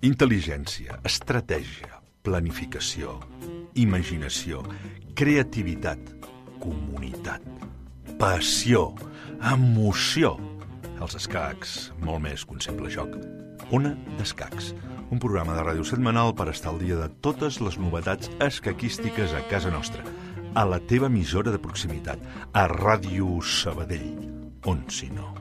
Intel·ligència, estratègia, planificació, imaginació, creativitat, comunitat, passió, emoció. Els escacs, molt més que un simple joc. Ona d'Escacs, un programa de ràdio setmanal per estar al dia de totes les novetats escaquístiques a casa nostra, a la teva emissora de proximitat, a Ràdio Sabadell, on si no.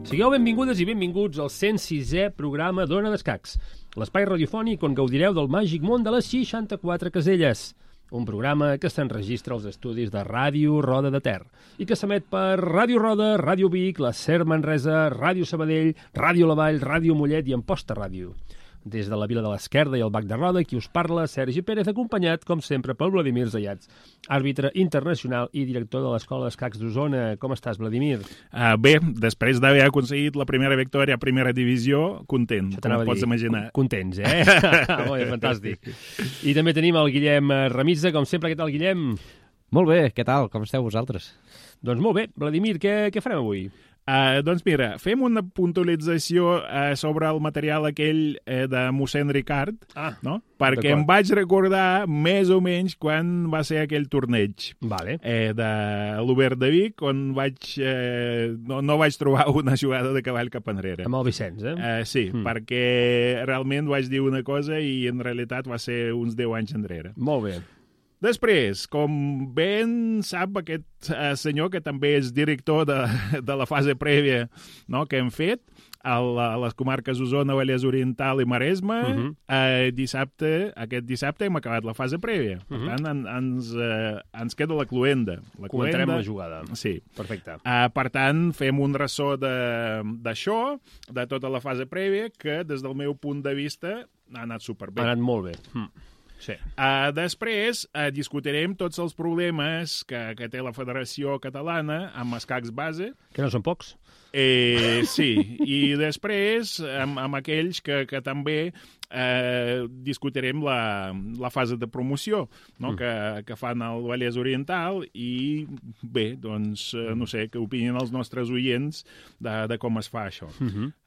Sigueu benvingudes i benvinguts al 106è programa d'Ona d'Escacs, l'espai radiofònic on gaudireu del màgic món de les 64 caselles. Un programa que s'enregistra als estudis de Ràdio Roda de Ter i que s'emet per Ràdio Roda, Ràdio Vic, la SER Manresa, Ràdio Sabadell, Ràdio La Vall, Ràdio Mollet i Amposta Ràdio. Des de la Vila de l'Esquerda i el Bac de Roda, qui us parla, Sergi Pérez, acompanyat, com sempre, pel Vladimir Zayats, àrbitre internacional i director de l'Escola d'Escacs d'Osona. Com estàs, Vladimir? Bé, després d'haver aconseguit la primera victòria a primera divisió, content, com pots imaginar. Contents, eh? Molt bé, fantàstic. I també tenim el Guillem Remisa, com sempre. Què tal, Guillem? Molt bé, què tal? Com esteu vosaltres? Doncs molt bé. Vladimir, què farem avui? Doncs mira, fem una puntualització sobre el material aquell de mossèn Ricard, no? Perquè em vaig recordar més o menys quan va ser aquell torneig de l'Obert de Vic, on no vaig trobar una jugada de cavall cap enrere. Amb el Vicenç, Sí, perquè realment vaig dir una cosa i en realitat va ser uns 10 anys enrere. Molt bé. Després, com ben sap aquest senyor, que també és director de la fase prèvia, no, que hem fet a les comarques Osona, Vallès Oriental i Maresme, aquest dissabte hem acabat la fase prèvia. Per tant, ens queda la cluenda. Comentarem la jugada. Sí. Perfecte. Per tant, fem un ressò d'això, de tota la fase prèvia, que des del meu punt de vista ha anat superbé. Ha anat molt bé. Sí. Després discutirem tots els problemes que té la Federació Catalana amb escacs base. Que no són pocs. Sí, i després amb aquells que també discutirem la fase de promoció, no? Que fan al Vallès Oriental i bé, doncs no sé, què opinen els nostres oients de com es fa això.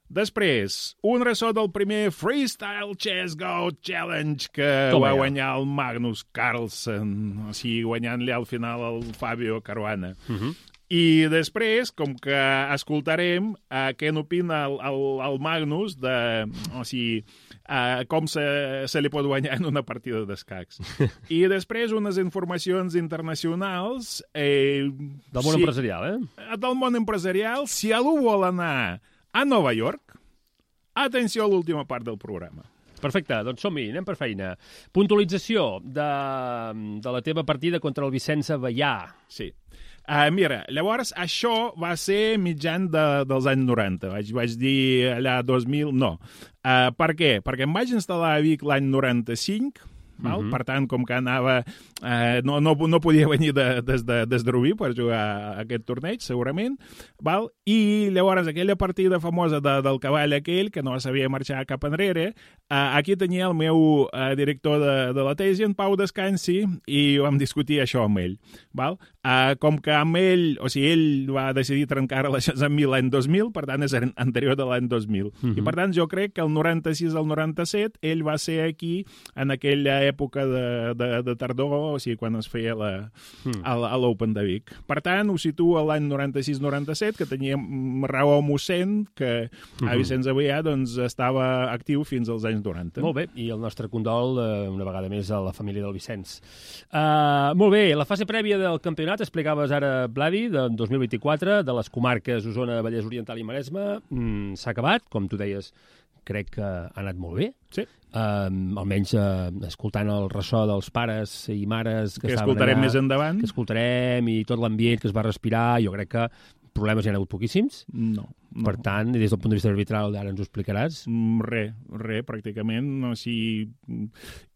Després, un ressò del primer Freestyle Chess Go Challenge que va guanyar el Magnus Carlsen, o sigui, guanyant-li al final el Fabio Caruana. I després, com que escoltarem què n'opina el Magnus com se li pot guanyar en una partida d'escacs. I després unes informacions internacionals... Del món empresarial, Del món empresarial. Si algú vol anar a Nova York, atenció a l'última part del programa. Perfecte, doncs som-hi, anem per feina. Puntualització de la teva partida contra el Vicenç Avellà. Sí. Mira, llavors, això va ser mitjan dels anys 90. Vaig dir allà 2000... No. Per què? Perquè em vaig instal·lar a Vic l'any 95... Per tant, com que anava... No podia venir des de Rubí per jugar a aquest torneig, segurament. I llavors aquella partida famosa del cavall aquell, que no sabia marxar cap enrere, aquí tenia el meu director de la tesi, en Pau Descansi, i vam discutir això amb ell. Com que amb ell, o sigui, ell va decidir trencar relacions amb mi l'any 2000, per tant és anterior de l'any 2000. I per tant jo crec que el 96 al 97 ell va ser aquí en aquella època de tardor, o sigui, quan es feia a l'Open de Vic. Per tant, ho situo a l'any 96-97, que tenia raó mossèn, que a Vicenç Avellà doncs, estava actiu fins als anys 90. Molt bé, i el nostre condol una vegada més a la família del Vicenç. Molt bé, la fase prèvia del campionat, explicaves ara, Vladi, de 2024, de les comarques Osona, Vallès Oriental i Maresme, s'ha acabat, com tu deies, crec que ha anat molt bé. Sí. Almenys escoltant el ressò dels pares i mares que escoltarem més endavant. Que escoltarem i tot l'ambient que es va respirar, jo crec que problemes hi ha hagut poquíssims. No. Per tant, des del punt de vista arbitral, ara ens ho explicaràs. Res, pràcticament. No, sí.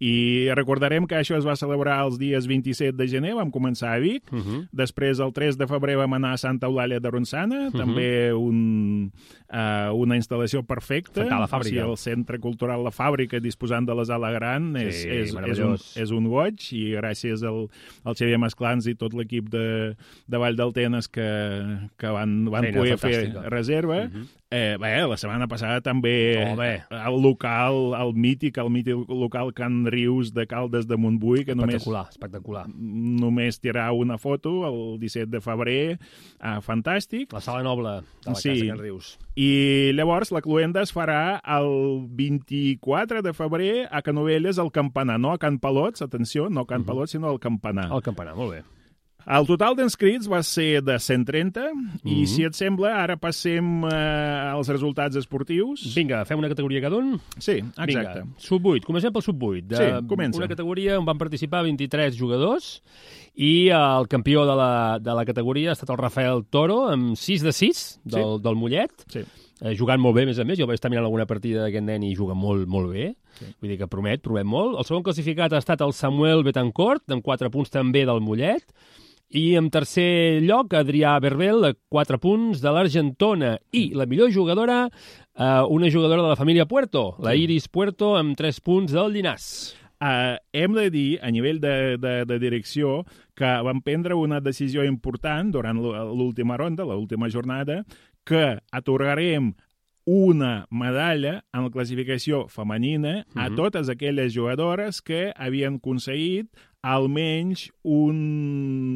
I recordarem que això es va celebrar els dies 27 de gener, vam començar a Vic, després el 3 de febrer vam anar a Santa Eulàlia de Ronçana, també una instal·lació perfecta. La fàbrica. O sigui, el Centre Cultural La Fàbrica, disposant de la sala gran, és un goig, i gràcies al Xavier Masclans i tot l'equip de Vall del Tenes que van poder fer reserva. La setmana passada també el local, el mític local Can Rius de Caldes de Montbui, que espectacular. Només tirar una foto el 17 de febrer, fantàstic. La sala noble de la Casa Can Rius. I llavors la cluenda es farà el 24 de febrer a Canovelles, al Campanar, no a Can Palots, atenció, no a Can Palots, sinó al Campanar. Al Campanar, molt bé. El total d'inscrits va ser de 130 i, si et sembla, ara passem als resultats esportius. Vinga, fem una categoria cada un? Sí, exacte. Vinga, sub-8. Comencem pel sub-8. Sí, comença. Una categoria on van participar 23 jugadors i el campió de la categoria ha estat el Rafael Toro amb 6 de 6 del Mollet. Sí. Jugant molt bé, a més a més. Jo vaig estar mirant alguna partida d'aquest nen i juga molt, molt bé. Sí. Vull dir que promet molt. El segon classificat ha estat el Samuel Betancourt, amb 4 punts també del Mollet. I en tercer lloc, Adrià Berbel, 4 punts de l'Argentona. I la millor jugadora, una jugadora de la família Puerto, la Iris Puerto, amb 3 punts del Llinàs. Hem de dir, a nivell de direcció, que vam prendre una decisió important durant l'última ronda, l'última jornada, que atorgarem una medalla en la classificació femenina a totes aquelles jugadores que havien aconseguit almenys un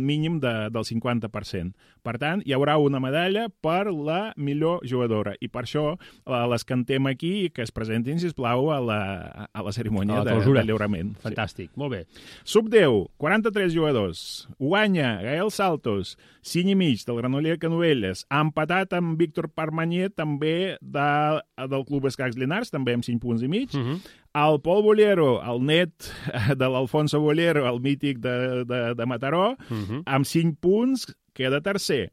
mínim del 50%. Per tant, hi haurà una medalla per la millor jugadora. I per això les cantem aquí i que es presentin, sisplau, a la cerimònia de lliurament. Fantàstic, molt bé. Sub-10, 43 jugadors. Guanya Gael Saltos, 5 i mig del Granollers Canovelles, empatat amb Víctor Parmanier, també del Club Escacs Llinars, també amb 5 punts i mig. El Pol Bollero, el net de l'Alfonso Bollero, el mític de Mataró, amb 5 punts, queda tercer.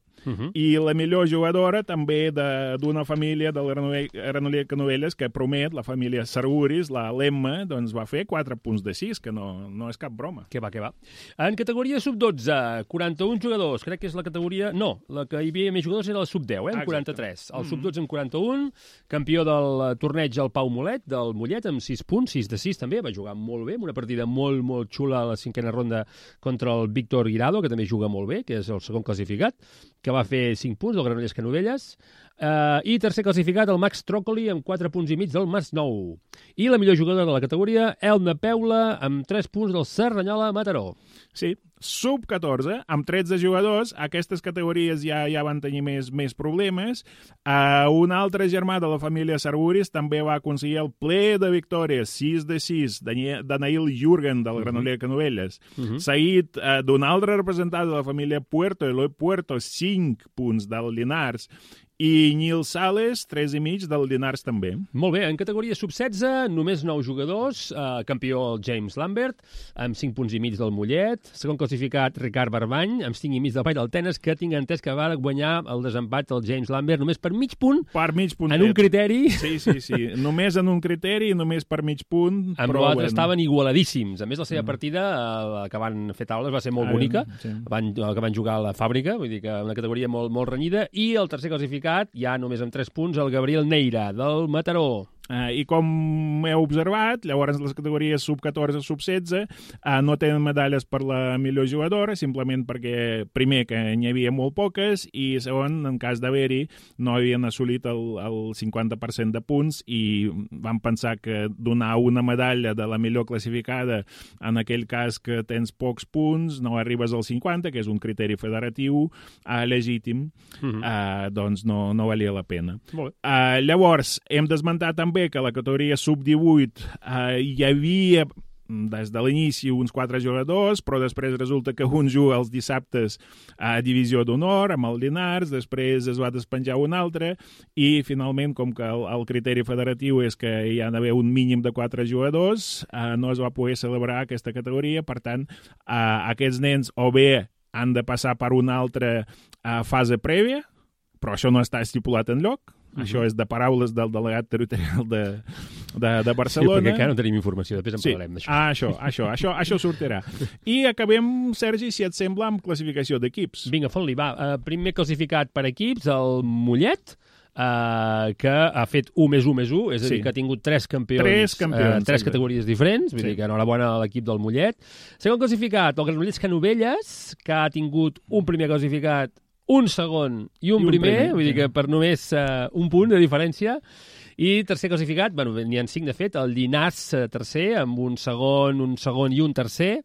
I la millor jugadora també d'una família del Granollers Canovelles que promet, la família Sarguris, la Lemma, doncs va fer 4 punts de 6, que no és cap broma. Que va. En categoria sub-12, 41 jugadors, crec que és la categoria... No, la que hi havia més jugadors era la sub-10, amb 43. El sub-12 amb 41, campió del torneig el Pau Molet, del Mollet, amb 6 punts, 6 de 6 també, va jugar molt bé, una partida molt, molt xula a la 5a ronda contra el Víctor Guirado, que també juga molt bé, que és el segon classificat, que va fer 5 punts del Granollers Canovelles, i tercer classificat el Max Trócoli amb 4 punts i mig del Masnou. I la millor jugadora de la categoria, Elna Peula, amb 3 punts del Cerdanyola Mataró. Sí, sub-14, amb 13 jugadors, aquestes categories ja van tenir més problemes. Un altre germà de la família Sarguris també va aconseguir el ple de victòries, 6 de 6, Danail Jürgen, del Granollers Canovelles. Seguit d'un altre representant de la família Puerto, Eloi Puerto, 5 punts del Llinars. I Nil Sales, 3 i mig del Llinars també. Molt bé, en categoria sub-16, només 9 jugadors, campió el James Lambert, amb 5 punts i mig del Mollet, segon classificat Ricard Barbany, amb 5 i mig del Vall del Tenes, que tinc entès que va guanyar el desempat del James Lambert només per mig punt. Per mig punt. En un criteri. Sí. Només en un criteri, només per mig punt. Amb l'altre estaven igualadíssims. A més, la seva partida, que van fer taules, va ser molt bonica, que van jugar a la fàbrica, vull dir que una categoria molt, molt renyida, i el tercer classificat, ja només amb 3 punts, el Gabriel Neira, del Mataró. I com heu observat, llavors les categories sub-14 i sub-16 no tenen medalles per la millor jugadora, simplement perquè, primer, que n'hi havia molt poques, i segon, en cas d'haver-hi, no havien assolit el 50% de punts, i vam pensar que donar una medalla de la millor classificada, en aquell cas que tens pocs punts, no arribes al 50, que és un criteri federatiu legítim, doncs no valia la pena. Llavors, hem d'esmentar també que a la categoria sub-18 hi havia des de l'inici uns 4 jugadors, però després resulta que un juga els dissabtes a Divisió d'Honor, amb el Llinars, després es va despenjar un altre, i finalment, com que el criteri federatiu és que hi ha d'haver un mínim de 4 jugadors, no es va poder celebrar aquesta categoria. Per tant, aquests nens o bé han de passar per una altra fase prèvia, però això no està estipulat enlloc, Això és de paraules del delegat territorial de Barcelona. Sí, perquè encara no tenim informació, després en parlarem d'això. Això sortirà. I acabem, Sergi, si et sembla, amb classificació d'equips. Vinga, fot-li, va. Primer classificat per equips, el Mollet, que ha fet 1+1+1, és a dir, que ha tingut 3 campions, tres categories diferents, vull dir que enhorabona a l'equip del Mollet. Segon classificat, el Granollers Canovelles, que ha tingut un primer classificat, un segon i un primer, vull dir que per només un punt de diferència. I tercer classificat, bueno, n'hi ha 5 de fet, el Llinars tercer, amb un segon i un tercer.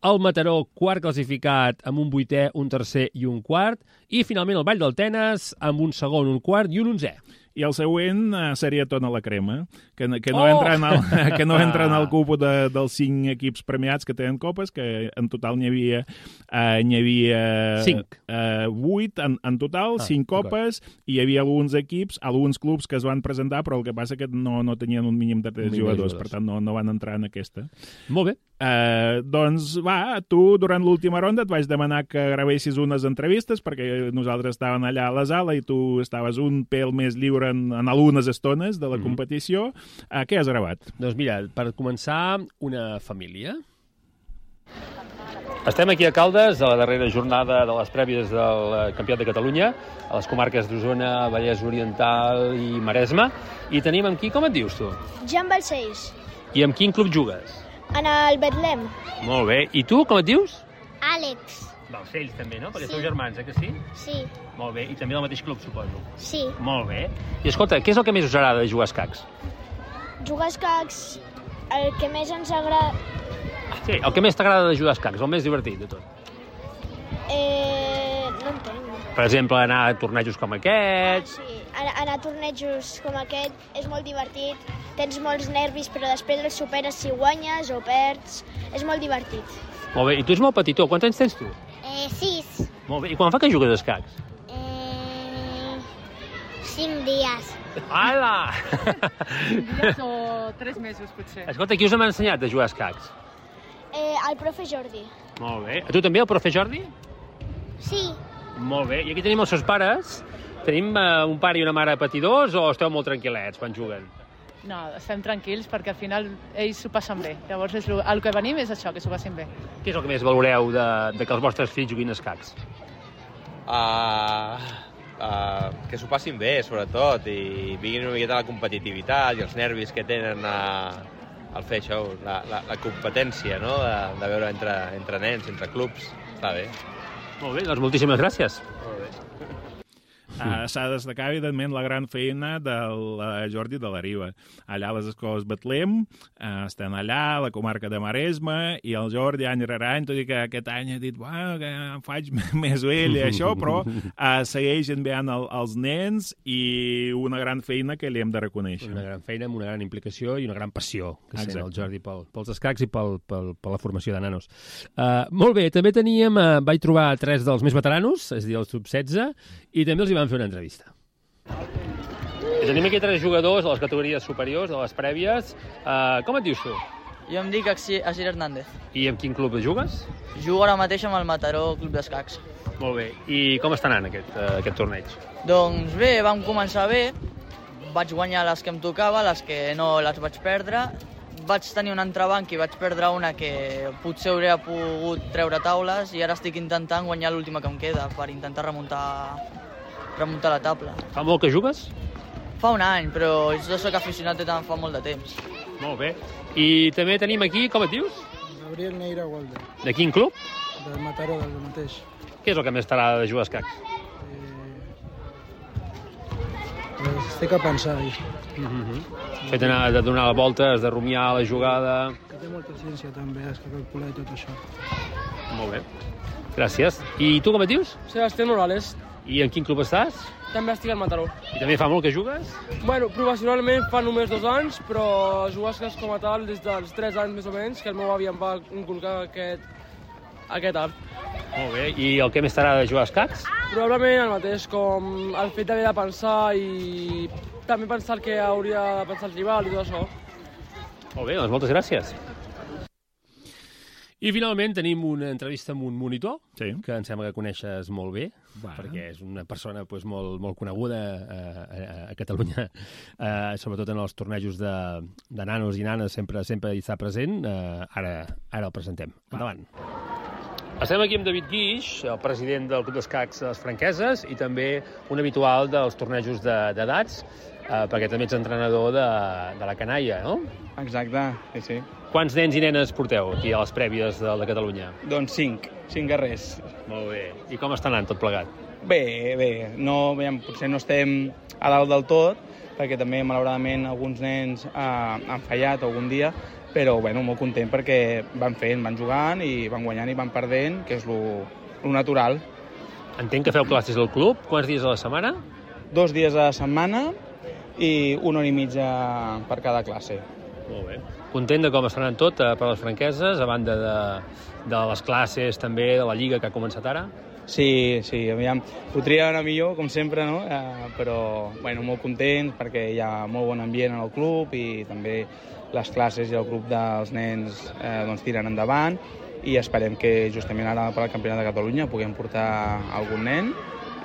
El Mataró, quart classificat, amb un 8è, un tercer i un quart. I, finalment, el Vall del Tenes, amb un segon, un quart i un 11è. I el següent seria Tona la Crema, que no entra en el cupo dels 5 equips premiats que tenen copes, que en total n'hi havia 8 en total, 5 copes, i hi havia alguns clubs que es van presentar, però el que passa que no tenien un mínim de 3 jugadors, per tant no van entrar en aquesta. Molt bé. Doncs va, tu durant l'última ronda et vaig demanar que gravessis unes entrevistes, perquè nosaltres estàvem allà a la sala i tu estaves un pèl més lliure en algunes estones de la competició. Què has gravat? Doncs mira, per començar, una família. Estem aquí a Caldes, a la darrera jornada de les prèvies del Campionat de Catalunya, a les comarques d'Osona, Vallès Oriental i Maresme. I tenim amb qui? Com et dius, tu? Jan Balcells. I amb quin club jugues? En el Betlem. Molt bé. I tu, com et dius? Àlex. Balcells, també, no? Perquè Sí. sou germans, que sí? Sí. Molt bé. I també del mateix club, suposo. Sí. Molt bé. I escolta, què és el que més us agrada de jugar a escacs? Jugar a escacs, el que més ens agrada... Sí, el que més t'agrada de jugar a escacs, el més divertit de tot. No entenc. Per exemple, anar a tornejos com aquests. Sí, anar a tornejos com aquest és molt divertit. Tens molts nervis, però després els superes si guanyes o perds. És molt divertit. Molt bé. I tu ets molt petitó. Quants anys tens tu? 6. Molt bé. I quan fa que jugues a escacs? 5 dies. Ala! Dies o 3 mesos, potser. Escolta, qui us ha ensenyat a jugar a escacs? El profe Jordi. Molt bé. A tu també, el profe Jordi? Sí. Molt bé. I aquí tenim els seus pares. Tenim un pare i una mare patidors o esteu molt tranquil·lets quan juguen? No, estem tranquils perquè al final ells s'ho passen bé. Llavors el que venim és això, que s'ho passin bé. Què és el que més valoreu de que els vostres fills juguin a escacs? Que s'ho passin bé, sobretot, i vinguin una miqueta la competitivitat i els nervis que tenen al fer això, la competència, no?, de veure entre nens, entre clubs. Està bé. Molt bé, doncs moltíssimes gràcies. Molt bé. S'ha de destacar, evidentment, la gran feina del Jordi de la Riba. Allà a les escoles Betlem, estan allà, a la comarca de Maresme, i el Jordi, any rere any, tot i que aquest any ha dit que em faig més vell i això, però segueix enviant els nens i una gran feina que li hem de reconèixer. Una gran feina amb una gran implicació i una gran passió que sent el Jordi pels escacs i per la formació de nanos. Molt bé, també vaig trobar 3 dels més veteranos, és a dir, els sub-16, i també els hi vam fer una entrevista. Tenim aquí 3 jugadors de les categories superiors, de les prèvies. Com et dius tu? Jo em dic Asir Hernández. I amb quin club jugues? Jugo ara mateix amb el Mataró Club d'Escacs. Molt bé. I com està anant aquest torneig? Doncs bé, vam començar bé. Vaig guanyar les que em tocava, les que no les vaig perdre. Vaig tenir un entrebanc i vaig perdre una que potser hauria pogut treure taules i ara estic intentant guanyar l'última que em queda per intentar remuntar la taula. Fa molt que jugues? Fa un any, però jo soc aficionat de tant fa molt de temps. Molt bé. I també tenim aquí, com et dius? Gabriel Neira Walde. De quin club? Del Mataró, del mateix. Què és el que més t'agrada de jugar a escacs? Estic a pensar. Fet de donar voltes, de rumiar la jugada... Que té molta ciència també, has de calcular i tot això. Molt bé. Gràcies. I tu com et dius? Sebastián Morales. I en quin club estàs? També estic al Mataró. I també fa molt que jugues? Bueno, professionalment fa només 2 anys, però jugar a escacs com a tal des dels 3 anys més o menys, que el meu avi em va inculcar aquest art. Molt bé. I el que més t'agrada de jugar a escacs? Probablement el mateix, com el fet d'haver de pensar i també pensar el que hauria de pensar el rival i tot això. Molt bé, doncs moltes gràcies. I finalment tenim una entrevista amb un monitor, Sí. que em sembla que coneixes molt bé, Va. perquè és una persona molt coneguda a Catalunya, sobretot en els tornejos de nanos i nanes, sempre hi està present. Ara el presentem. Endavant. Estem aquí amb David Guix, el president del Club d'Escacs de les Franqueses i també un habitual dels tornejos d'edats, perquè també ets entrenador de la canalla, no? Exacte, sí. Quants nens i nenes porteu aquí a les prèvies de Catalunya? Doncs 5 guerrers. Molt bé. I com està anant tot plegat? Bé. No, potser no estem a dalt del tot, perquè també, malauradament, alguns nens han fallat algun dia, però molt content perquè van fent, van jugant i van guanyant i van perdent, que és lo natural. Entenc que feu classes al club. Quants dies a la setmana? 2 dies a la setmana i 1 hora i mitja per cada classe. Molt bé. Content de com està anant tot per les Franqueses, a banda de les classes també, de la Lliga que ha començat ara? Sí, aviam, podria anar millor, com sempre, no? Però, molt content perquè hi ha molt bon ambient en el club i també les classes i el grup dels nens tiren endavant i esperem que justament ara per al Campionat de Catalunya puguem portar algun nen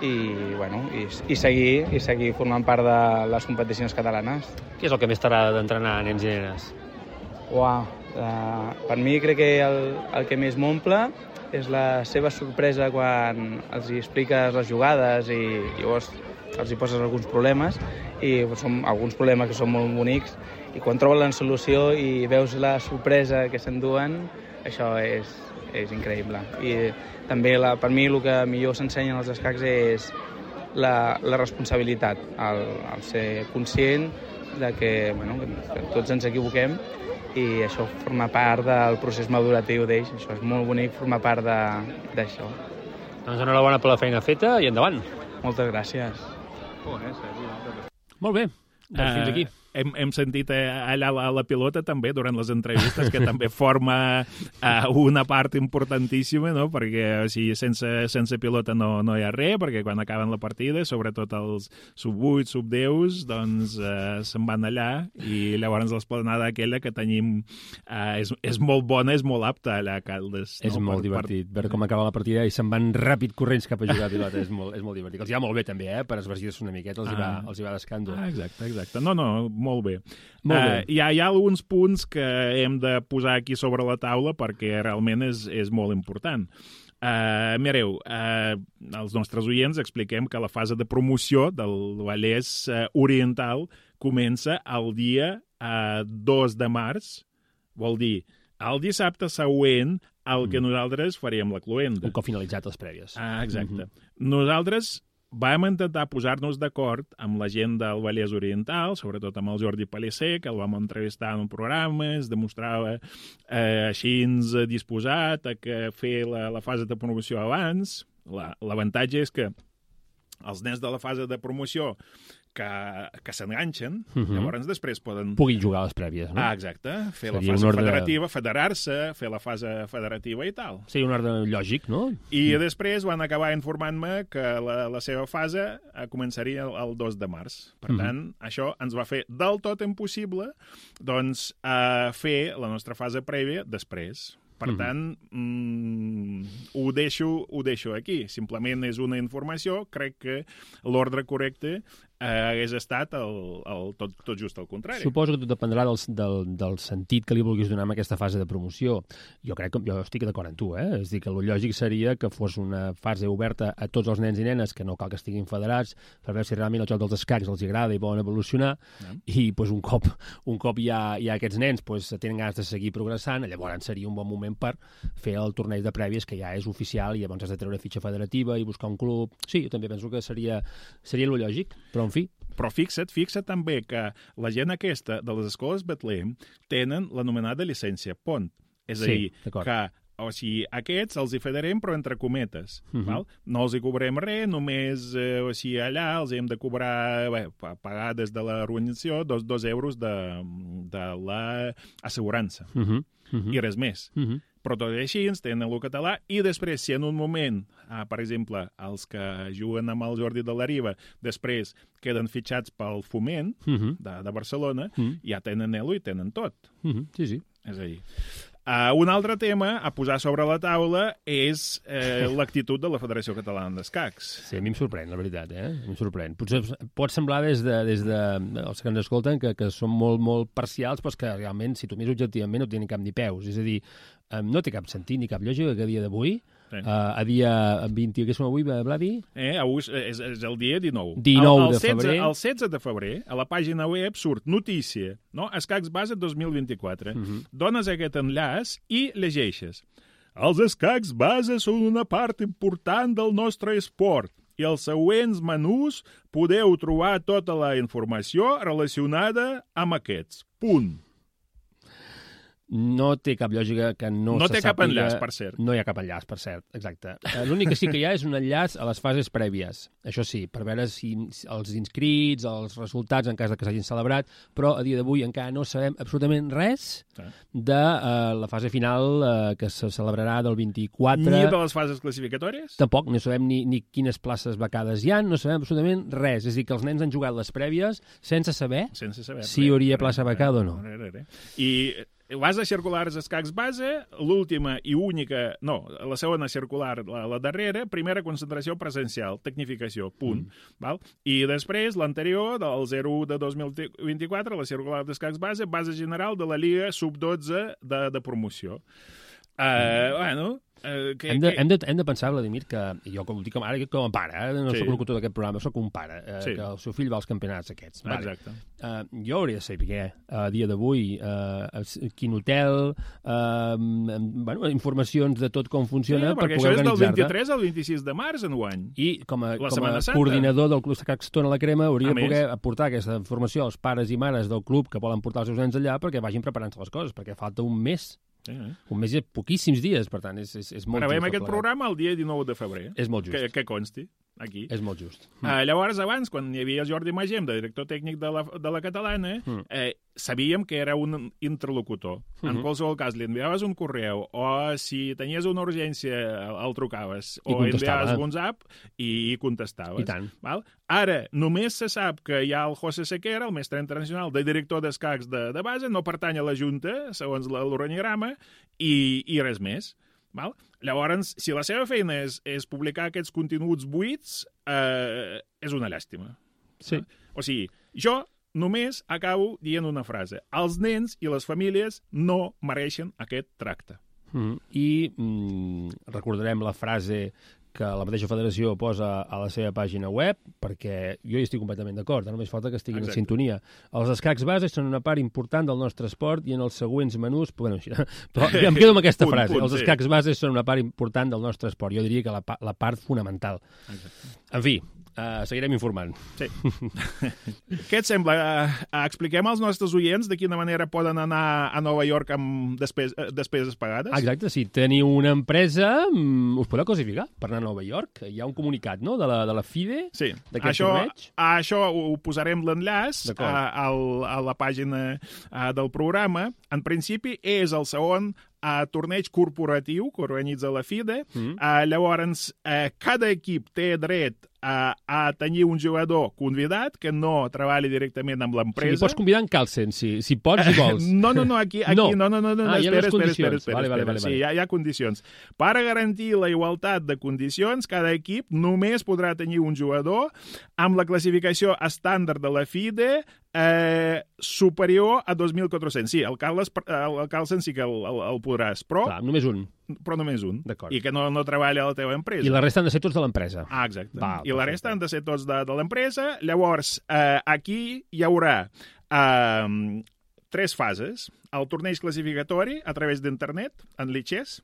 i seguir formant part de les competicions catalanes. Què és el que més t'agrada d'entrenar nens i nenes? Per mi crec que el que més m'omple és la seva sorpresa quan els hi expliques les jugades i llavors els hi poses alguns problemes i són alguns problemes que són molt bonics i quan troben la solució i veus la sorpresa que s'enduen, això és increïble. I també per mi el que millor s'ensenya als escacs és la responsabilitat, el ser conscient de que tots ens equivoquem i això forma part del procés maduratiu d'ells. Això és molt bonic formar part d'això. Doncs enhorabona per la feina feta i endavant. Moltes gràcies. Molt bé, doncs fins aquí. Hem sentit allà la pilota també durant les entrevistes, que també forma una part importantíssima, no? Perquè sense pilota no hi ha res, perquè quan acaben la partida, sobretot els sub-8, sub-10, doncs se'n van allà i llavors l'esplanada aquella que tenim és molt bona, és molt apta allà a Caldes. És molt divertit, veure com acaba la partida i se'n van ràpid corrents cap a jugar a pilota, és molt divertit. Els hi va molt bé també, per esvergir-se una miqueta, els hi va d'escàndol. Exacte. No, molt bé. Hi ha alguns punts que hem de posar aquí sobre la taula perquè realment és molt important. Mireu, als nostres oients expliquem que la fase de promoció del Vallès Oriental comença el dia 2 de març, vol dir el dissabte següent al que nosaltres faríem la cloenda. Un cop finalitzat les prèvies. Exacte. Nosaltres vam intentar posar-nos d'acord amb la gent del Vallès Oriental, sobretot amb el Jordi Pellicer, que el vam entrevistar en un programa, es demostrava així disposat a fer la fase de promoció abans. L'avantatge és que els nens de la fase de promoció que s'enganxen, llavors després puguin jugar a les prèvies, no? Exacte, fer la fase federativa, federar-se, fer la fase federativa i tal. Sí, un ordre lògic, no? I després van acabar informant-me que la seva fase començaria el 2 de març. Per tant, això ens va fer del tot impossible fer la nostra fase prèvia després. Per tant, ho deixo aquí. Simplement és una informació. Crec que l'ordre correcte hagués estat tot just al contrari. Suposo que tot dependrà del sentit que li vulguis donar a aquesta fase de promoció. Jo estic d'acord amb tu, És dir, que el lògic seria que fos una fase oberta a tots els nens i nenes, que no cal que estiguin federats, per veure si realment el joc dels escacs els agrada i volen evolucionar, i un cop hi ha aquests nens tenen ganes de seguir progressant, llavors seria un bon moment per fer el torneig de prèvies, que ja és oficial, i llavors has de treure fitxa federativa i buscar un club. Sí, jo també penso que seria el lògic, però en fi. Però fixa't també que la gent aquesta de les escoles Betlem tenen l'anomenada llicència PONT. És a dir, que aquests els hi federem, però entre cometes. Val? No els hi cobrem res, només allà els hem de cobrar, pagar des de l'organització 2 euros de l'assegurança. I res més. Però tot i així ens tenen el català i després, si en un moment, per exemple, els que juguen amb el Jordi de la Riba, després queden fitxats pel Foment de Barcelona, ja tenen elo i tenen tot. Sí. És a dir, Un altre tema a posar sobre la taula és l'actitud de la Federació Catalana d'Escacs. Sí, a mi em sorprèn, la veritat, A mi em sorprèn. Potser pot semblar des de els que ens escolten que són molt, molt parcials, però que realment, si tu mires objectivament, no té ni cap ni peus. És a dir, no té cap sentit ni cap lògica que a dia d'avui, a dia 20, que som avui, Vladi? Avui és el dia 19. 19 de febrer. El 16 de febrer, a la pàgina web surt notícia, no? Escacs Base 2024. Dones aquest enllaç i llegeixes. Els escacs base són una part important del nostre esport i als següents menús podeu trobar tota la informació relacionada amb aquests. Punt. No té cap lògica que no té se sàpiga... cap enllaç, per cert. No hi ha cap enllaç, per cert, exacte. L'únic que sí que hi ha és un enllaç a les fases prèvies. Això sí, per veure si els inscrits, els resultats, en cas que s'hagin celebrat, però a dia d'avui encara no sabem absolutament res de la fase final que se celebrarà del 24. Ni de les fases classificatòries? Tampoc, no sabem ni quines places becades hi ha, no sabem absolutament res. És a dir, que els nens han jugat les prèvies sense saber si hi hauria plaça becada o no. I vas a circulars escacs base, l'última i única, no, la segona circular, la darrera, primera concentració presencial, tecnificació, punt. Val? I després, l'anterior, del 01 de 2024, la circular d'escacs base, base general de la Lliga Sub-12 de promoció. Bueno... Hem de pensar, Vladimir, que jo com dic ara com a pare, no soc locutor d'aquest programa, soc un pare, que el seu fill va als campionats aquests. Exacte. Jo hauria de saber a dia d'avui quin hotel, informacions de tot com funciona per poder organitzar-te. Perquè això és del 23 al 26 de març enguany. I com a coordinador del Club Escacs Tona la Crema hauria de poder aportar aquesta informació als pares i mares del club que volen portar els seus nens allà perquè vagin preparant-se les coses, perquè falta un mes. Un mes i poquíssims dies, per tant, és molt just. Gravem aquest programa el dia 19 de febrer. És molt just. Que consti, aquí. És molt just. Llavors, abans, quan hi havia Jordi Magem, de director tècnic de la Catalana, sabíem que era un interlocutor. En qualsevol cas, li enviaves un correu, o si tenies una urgència, el trucaves, o enviaves un WhatsApp i contestaves. I tant. Ara, només se sap que hi ha el José Sequera, el mestre internacional de director d'escacs de base, no pertany a la Junta, segons l'organigrama, i res més. Llavors, si la seva feina és publicar aquests continguts buits, és una llàstima. Sí. O sigui, jo només acabo dient una frase. Els nens i les famílies no mereixen aquest tracte. I recordarem la frase que la mateixa federació posa a la seva pàgina web, perquè jo hi estic completament d'acord, només falta que estiguin en sintonia. Els escacs bases són una part important del nostre esport i en els següents menús... Bueno, però em quedo amb aquesta frase. Els escacs bases són una part important del nostre esport. Jo diria que la part fonamental. En fi, seguirem informant. Sí. Què et sembla? Expliquem als nostres oients de quina manera poden anar a Nova York amb despeses pagades? Exacte, si teniu una empresa, us podeu classificar per anar a Nova York. Hi ha un comunicat, no?, de la FIDE, d'aquest torneig. Això ho posarem l'enllaç a la pàgina del programa. En principi, és el segon torneig corporatiu que organitza la FIDE. Llavors, cada equip té dret a tenir un jugador convidat que no treballi directament amb l'empresa. Si pots convidar en calcen, si pots i vols. No, aquí no. Espera. Sí, hi ha condicions. Per a garantir la igualtat de condicions, cada equip només podrà tenir un jugador amb la classificació estàndard de la FIDE superior a 2.400. Sí, el Carlsen sí que el podràs, però... Clar, només un. Però només un. I que no treballa a la teva empresa. I la resta han de ser tots de l'empresa. Exacte. I la resta han de ser tots de l'empresa. Llavors, aquí hi haurà 3 fases. El torneig classificatori a través d'internet, en Lichess.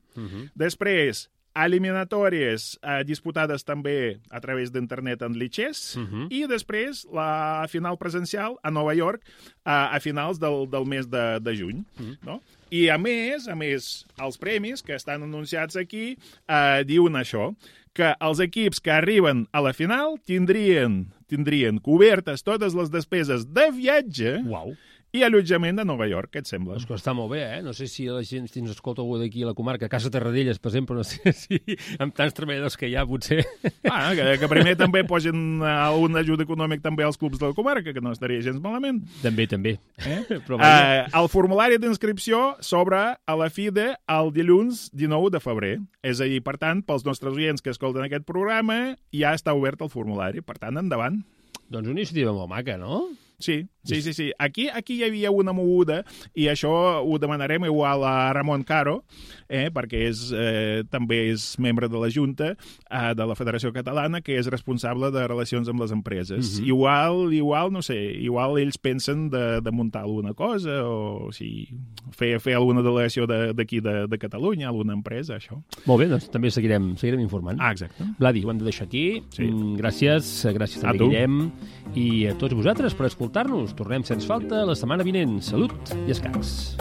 Després, eliminatòries disputades també a través d'internet en Lichess, i després la final presencial a Nova York a finals del mes de juny. I a més, els premis que estan anunciats aquí diuen això, que els equips que arriben a la final tindrien cobertes totes les despeses de viatge i allotjament a Nova York. Què et sembla? Doncs que està molt bé, No sé si la gent, si ens escolta algú d'aquí a la comarca, Casa Terradellas, per exemple, no sé si amb tants treballadors que hi ha, potser... Que primer també posin un ajut econòmic també als clubs de la comarca, que no estaria gens malament. També. Però el formulari d'inscripció s'obre a la FIDE el dilluns 19 de febrer. És a dir, per tant, pels nostres oients que escolten aquest programa, ja està obert el formulari. Per tant, endavant. Doncs una iniciativa molt maca, no? Sí. Aquí hi havia una moguda, i això ho demanarem igual a Ramon Caro, perquè també és membre de la Junta de la Federació Catalana, que és responsable de relacions amb les empreses. Igual, no sé, igual ells pensen de muntar alguna cosa, o fer alguna delegació d'aquí de Catalunya, alguna empresa, això. Molt bé, doncs també seguirem informant. Exacte. Vladi, ho hem de deixar aquí. Sí. Gràcies també, Guillem, i a tots vosaltres per escoltar-nos. Tornem, sens falta, la setmana vinent. Salut i escacs.